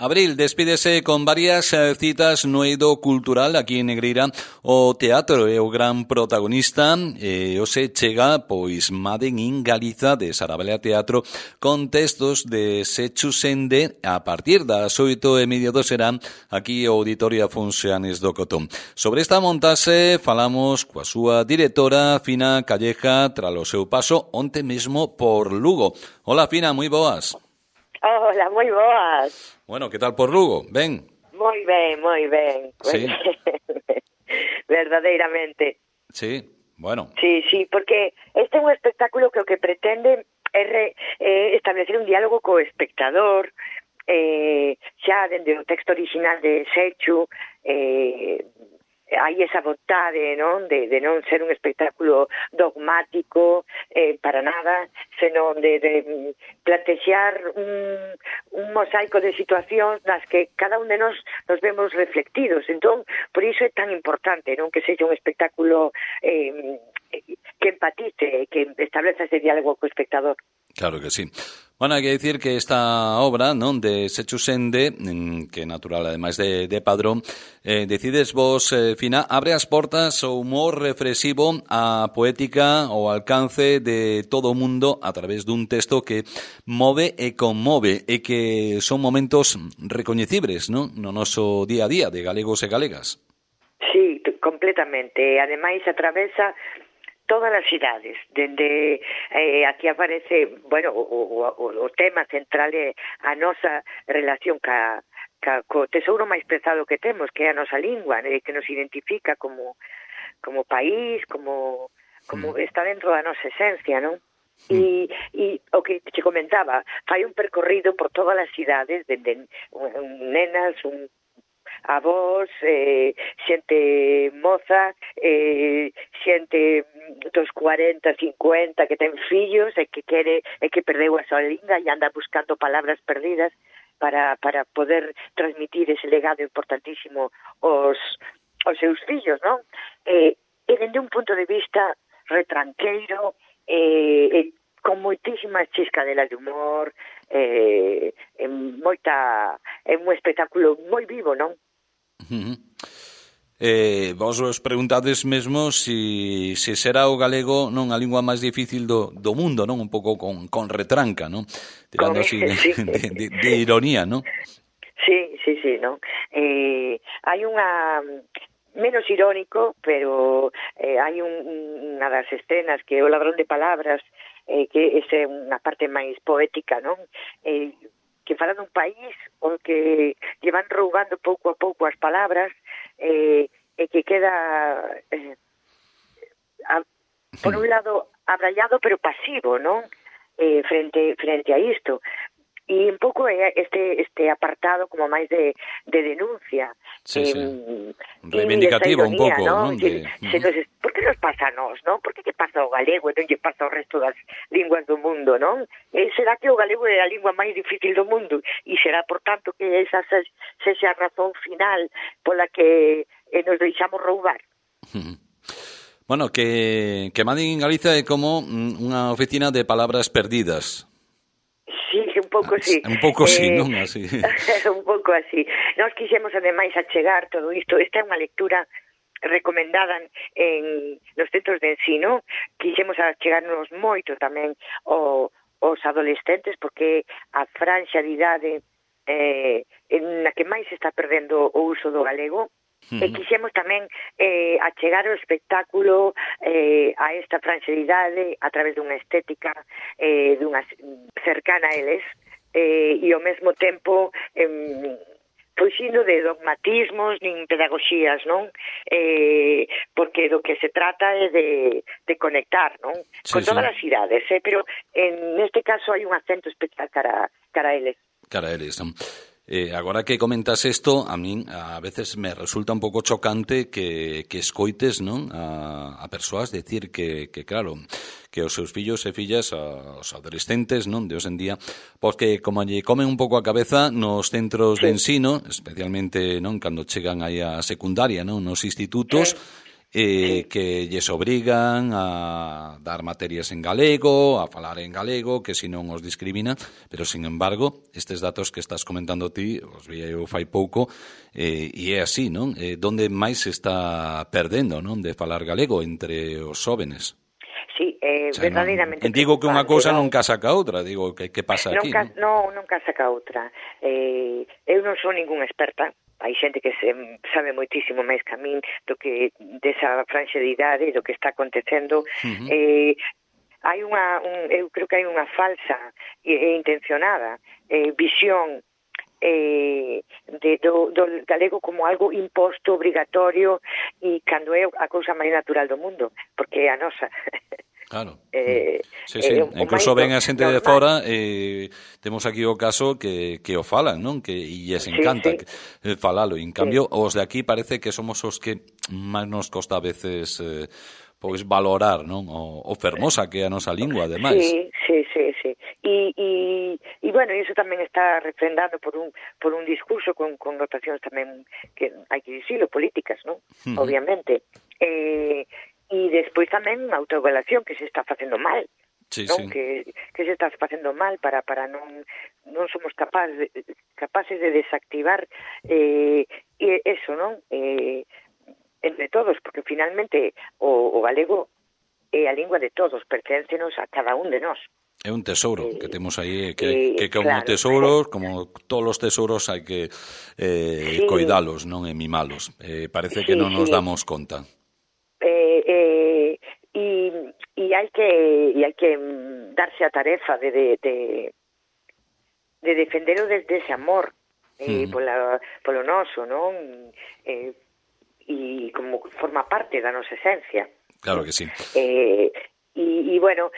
Abril despídese con varias citas no eido cultural aquí en Negreira. O teatro é o gran protagonista e hoxe chega, pois, Maden in Galiza de Sarabela Teatro con textos de Sechu Sende a partir das 8:30 serán aquí o Auditorio Afonso Anes do Cotón. Sobre esta montase falamos coa súa directora Fina Calleja tras o seu paso onte mesmo por Lugo. Hola Fina, moi boas. Hola, moi boas. Bueno, que tal por Lugo? Ben? Moi ben, moi ben. Sí. Verdadeiramente. Sí, bueno. Sí, porque este é un espectáculo que o que pretende é establecer un diálogo co espectador, xa dende o texto original de Sechu, hai esa vontade, non, de non ser un espectáculo dogmático para nada, senón de plantexar un mosaico de situacións nas que cada un de nos vemos reflectidos. Entón, por iso é tan importante, non, que sexa un espectáculo que empatice, que estableza ese diálogo co espectador. Claro que sí. Bueno, hai que dicir que esta obra, non, de Sechu Sende, que é natural, ademais de Padrón, decides vos, Fina, abre as portas ao humor reflexivo, a poética, ao alcance de todo o mundo a través dun texto que move e conmove e que son momentos recoñecibles, non, no noso día a día de galegos e galegas. Sí, completamente. Ademais, atravesa todas as cidades, dende aquí aparece, bueno, o tema central é a nosa relación co tesouro máis prezado que temos, que é a nosa lingua, que nos identifica como país, como está dentro da nosa esencia, non? E o que te comentaba, fai un percorrido por todas as cidades, dende nenas, avós, xente moza, xente dos 40, 50 que ten fillos e que perdeu a súa lingua e anda buscando palabras perdidas para poder transmitir ese legado importantísimo aos seus fillos, non? E dende un punto de vista retranqueiro, con moitísimas chiscadelas de humor, é un espectáculo moi vivo, non? Vos os preguntades mesmo se será o galego non a lingua máis difícil do mundo, non? Un pouco con retranca, non? Tirando así de ironía, non? Sí, non? Hai unha menos irónico, pero hai unha das escenas que é o ladrón de palabras, que esa é unha parte máis poética, non? Que fala dun país o que lle van roubando pouco a pouco as palabras e que queda por un lado abrallado pero pasivo, non? Frente a isto. E un pouco é este apartado como máis de denuncia. Sí. Reivindicativo un pouco, non? Por que nos pasa a nós, non? Por que pasa ao galego e non lle pasa ao resto das linguas do mundo, non? Será que o galego é a lingua máis difícil do mundo? E será, por tanto, que esa sexa a razón final pola que nos deixamos roubar? Bueno, que Maden in Galiza é como unha oficina de palabras perdidas. Sí, un pouco así. Un pouco así, non? Así. Un pouco así. Nós quixemos, ademais, achegar todo isto. Esta é unha lectura recomendada nos centros de ensino. Quixemos achegarnos moito tamén aos adolescentes, porque a franxa de idade na que máis se está perdendo o uso do galego. E quixemos tamén achegar o espectáculo a esta franxa de idade a través dunha estética dunha cercana a eles e ao mesmo tempo fuxindo de dogmatismos nin pedagogías, non? Porque do que se trata é de conectar, non? Con todas as idades, pero neste caso hai un acento especial cara a eles. Cara a eles, non? Agora que comentas isto, a min a veces me resulta un pouco chocante que escoites, non, a persoas decir que claro, que os seus fillos e fillas, os adolescentes, non, de hoxe en día, porque como lle comen un pouco a cabeza nos centros de ensino, especialmente, non, cando chegan aí a secundaria, non, nos institutos, que lles obrigan a dar materias en galego, a falar en galego, que se non os discrimina, pero, sin embargo, estes datos que estás comentando ti, os vi eu fai pouco, e é así, non? Donde máis se está perdendo, non, de falar galego entre os jóvenes? Sí, verdadeiramente. Digo que unha cousa non casa ca outra, digo, que pasa aquí? Non casa ca outra. Eu non sou ninguna experta, hai xente que sabe moitísimo máis que a min do que desa franxa de idade, do que está acontecendo. Hai eu creo que hai unha falsa e intencionada visión do galego como algo imposto, obrigatorio, e cando é a cousa máis natural do mundo, porque é a nosa. Claro. Sí. Incluso ven a xente de fora, temos aquí o caso que o falan, non? Que e lles encanta falalo. En cambio, os de aquí parece que somos os que máis nos costa a veces pois valorar, non? O fermosa que é a nosa lingua, ademais. Sí. E bueno, iso tamén está refrendado por un discurso con notacións tamén que hai que dicilo, políticas, non? Obviamente. E despois tamén autoevaluación que se está facendo mal, non? Que se está facendo mal para non somos capaces de desactivar eso, non? Entre todos, porque finalmente o galego é a lingua de todos, perténcenos a cada un de nós. É un tesouro que temos aí, que como tesouros, como todos os tesouros hai que coidalos, non, e mimalos. Parece que non nos damos conta. E hai que darse a tarefa de defendelo desde ese amor polo noso, non? E como forma parte da nosa esencia. Claro que sí. E bueno,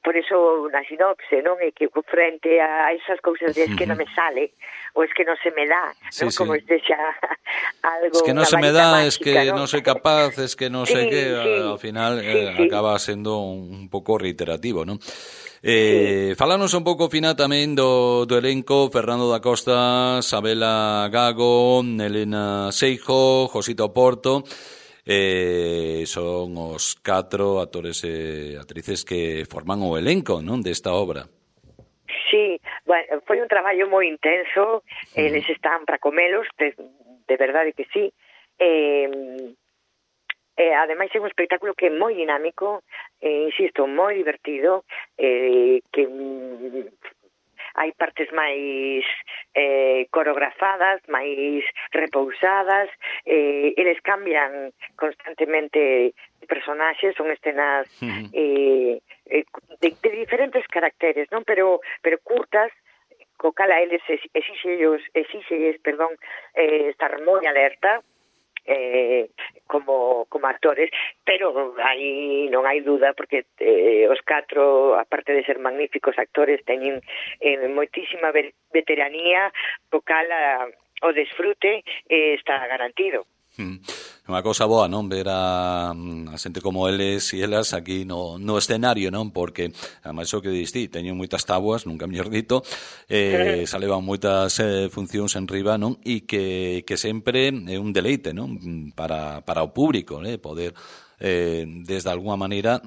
por eso na sinopse, non, é que frente a esas cousas de es que non me sale, ou es que non se me dá, non, como se xa algo, es que non se me dá, es que non soy capaz, es que non sei que, ao final acaba sendo un pouco reiterativo, non? Falanos un pouco, Fina, tamén do elenco: Fernando da Costa, Sabela Gago, Elena Seijo, Josito Porto. Son os 4 actores e actrices que forman o elenco, non, desta obra. Sí, bueno, foi un traballo moi intenso, eles están para comelos, de verdade que sí. Ademais é un espectáculo que é moi dinámico, insisto, moi divertido, que hai partes máis coreografadas, máis repousadas, eles cambian constantemente personaxes, son escenas de diferentes caracteres, non? Pero curtas, co cal a eles exíxelles, estar moi alerta, como actores, pero non hai duda, porque os 4, aparte de ser magníficos actores, teñen moitísima veteranía, co cal o desfrute está garantido. Unha cousa boa, non, ver a xente como eles e elas aquí no escenario, non, porque ademais o que diste, teñen moitas tabuas, nunca mellor dito, se levan moitas funcións en riba, non, e que sempre é un deleite, non, para o público, poder desde alguma maneira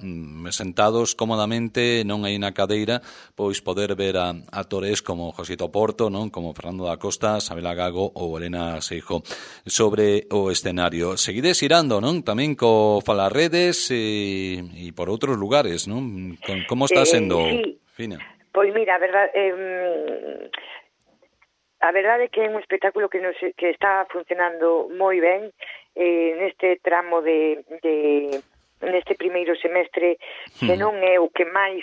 sentados cómodamente, non aí na cadeira, pois poder ver a actores como Josito Porto, non, como Fernando da Costa, Sabela Gago ou Elena Seijo sobre o escenario. Seguides irando, non, tamén co Falarredes e por outros lugares, non? Como está sendo, Fina? Pois mira, a verdade é que é un espectáculo que está funcionando moi ben neste tramo neste primeiro semestre, que non é o que máis,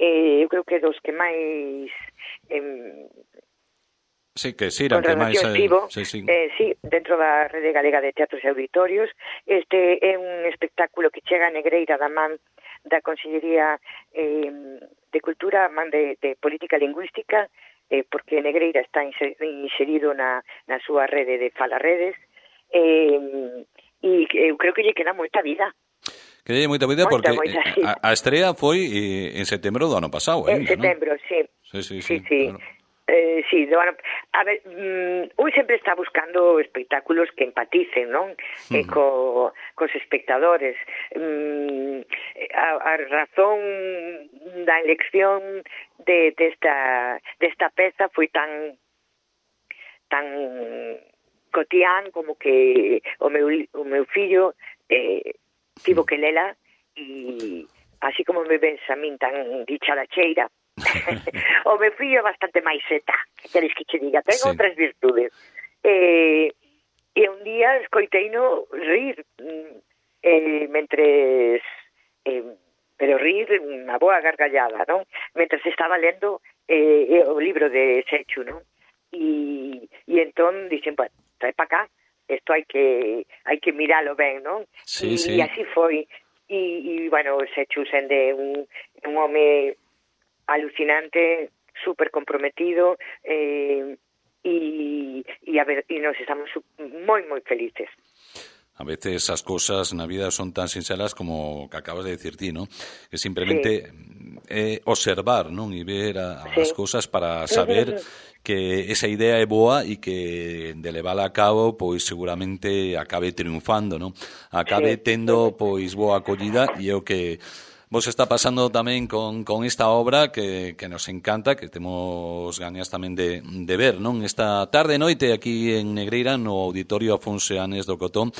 eu creo que dos que máis sí, que siran, que máis sí, dentro da Rede Galega de Teatros e Auditorios. Este é un espectáculo que chega a Negreira da man da Consellería de Cultura, man de Política Lingüística, porque Negreira está inserido na súa rede de Falarredes, e eu creo que lle queda moita vida. Que lle moita vida, porque a estrea foi en setembro do ano pasado. En setembro, sí. Sí. Claro. Sí, bueno, a ver, un sempre está buscando espectáculos que empaticen, non? Cos espectadores. A razón da elección desta peza foi tan cotián como que o meu fillo tivo que lela, e así como me ves a min tan dicharacheira, o meu fillo é bastante máis seta, que queres que che diga, ten outras virtudes. E un día escoiteino rir, mentres pero rir unha boa gargallada, non? Mentres estaba lendo o libro de Sechu, non? E entón dixen, bueno, trae para cá, isto hai que miralo ben, non? Sí, e así foi. E bueno, Sechu sende un home alucinante, super comprometido, e a ver, e nos estamos moi felices. A veces as cousas na vida son tan sinceras como que acabas de decir ti, ¿no? Que simplemente observar, non? E ver as cousas para saber que esa idea é boa e que de levala a cabo, pois seguramente acabe triunfando, non? Acabe tendo pois boa acollida, e é o que vos está pasando tamén con esta obra que nos encanta, que temos gañas tamén de ver, non? Esta tarde e noite aquí en Negreira, no Auditorio Afonso Anes do Cotón,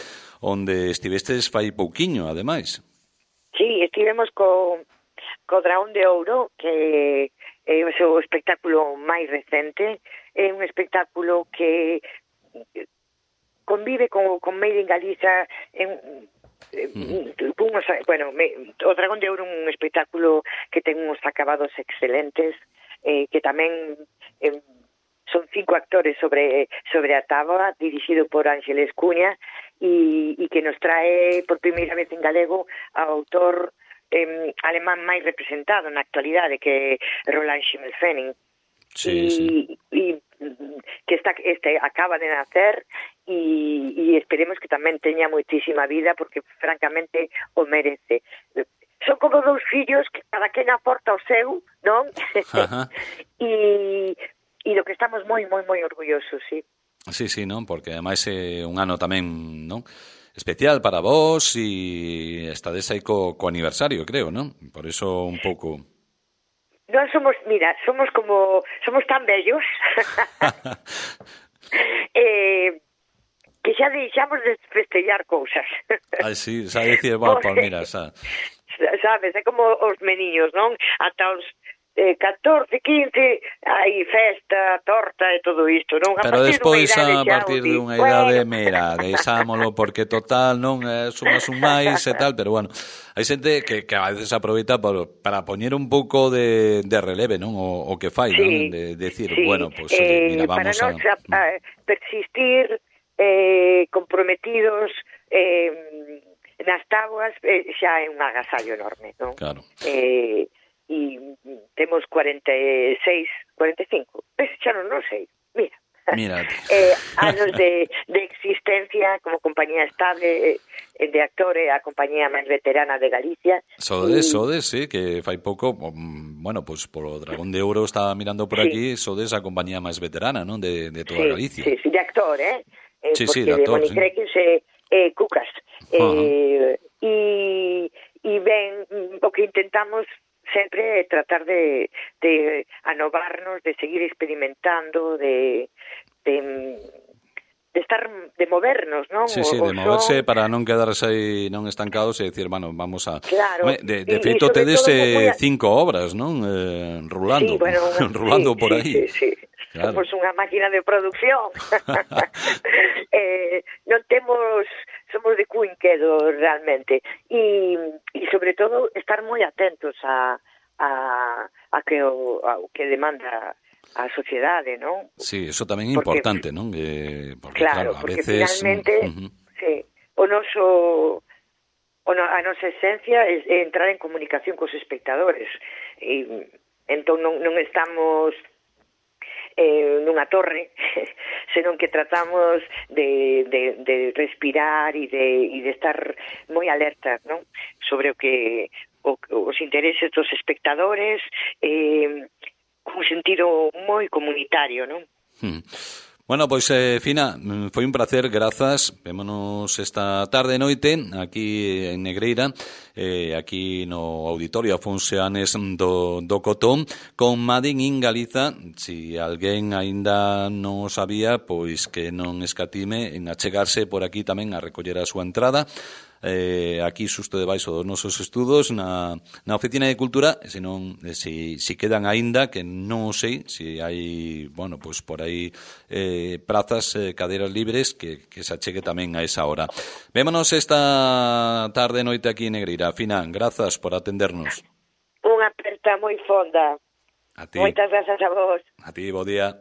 onde estivestes fai pouquiño, ademais. Sí, estivemos co Dragón de Ouro, que é o espectáculo máis recente. É un espectáculo que convive con Made in Galiza o Dragón de Ouro é un espectáculo que ten uns acabados excelentes, que tamén son 5 actores sobre a táboa, dirixido por Ángeles Cuña, e que nos trae por primeira vez en galego ao autor alemán máis representado na actualidade, que é Roland Schimmelfennig. E que acaba de nacer, e esperemos que tamén teña moitísima vida, porque francamente o merece. Son como 2 fillos que cada quen aporta o seu, non? E do que estamos moi orgullosos, sí. Sí, non? Porque ademais é un ano tamén, non? Especial para vos, e estades aí co aniversario, creo, non? Por eso un pouco... Non somos tan vellos que xa deixamos de festejar cousas. Sí, xa dicir, bueno, pues mira, xa... Sabes, é como os meniños, non? Ata os 14, 15, hai festa, torta e todo isto, non? Pero despois, a partir dunha idade, mira, deixámolo, porque total, non, sumas un máis e tal, pero bueno, hai xente que a veces aproveita para poñer un pouco de releve, non? O que fai, non? De decir, bueno, pues mira, vamos para nos persistir comprometidos nas táboas, xa é un agasallo enorme, non? Claro. E temos 46, 45, xa non sei, mira, anos de existencia como compañía estable de actores, a compañía máis veterana de Galicia. Sodes, sí, que fai pouco, bueno, pues polo Dragón de Ouro estaba mirando por aquí, sodes a compañía máis veterana, non? De toda Galicia. Sí, de actor, Sí, de actor, de Monicrequis e Cucas. E ben, o que intentamos sempre é tratar de anovarnos, de seguir experimentando, de movernos, non? Sí, de moverse para non quedarse aí non estancados e decir, bueno, vamos a... Claro. De feito, tedes 5 obras, non? Rulando, sí, bueno, rulando por aí. Sí. Claro. Somos unha máquina de producción. Non somos de cuinquedo realmente, e sobre todo estar moi atentos a que demanda a sociedade, non? Sí, eso tamén é importante, non? Porque claro, a veces... finalmente a nosa esencia é entrar en comunicación cos espectadores, e entón non estamos nunha torre, senón que tratamos de respirar e de estar moi alerta, non? Sobre o que os intereses dos espectadores, cun sentido moi comunitario, non? Bueno, pois, Fina, foi un placer, grazas. Vémonos esta tarde e noite aquí en Negreira, aquí no Auditorio Afonso Anes do Cotón, con Made in Galiza. Si alguén aínda non o sabía, pois que non escatime en achegarse por aquí tamén a recoller a súa entrada. Aquí xusto debaixo dos nosos estudos na Oficina de Cultura, senón si quedan aínda, que non sei si hai, bueno, pois por aí prazas, cadeiras libres que se achegue tamén a esa hora. Vémonos esta tarde e noite aquí en Negreira. Fina, grazas por atendernos. Unha aperta moi fonda. A ti. Moitas grazas a vos. A ti, bo día.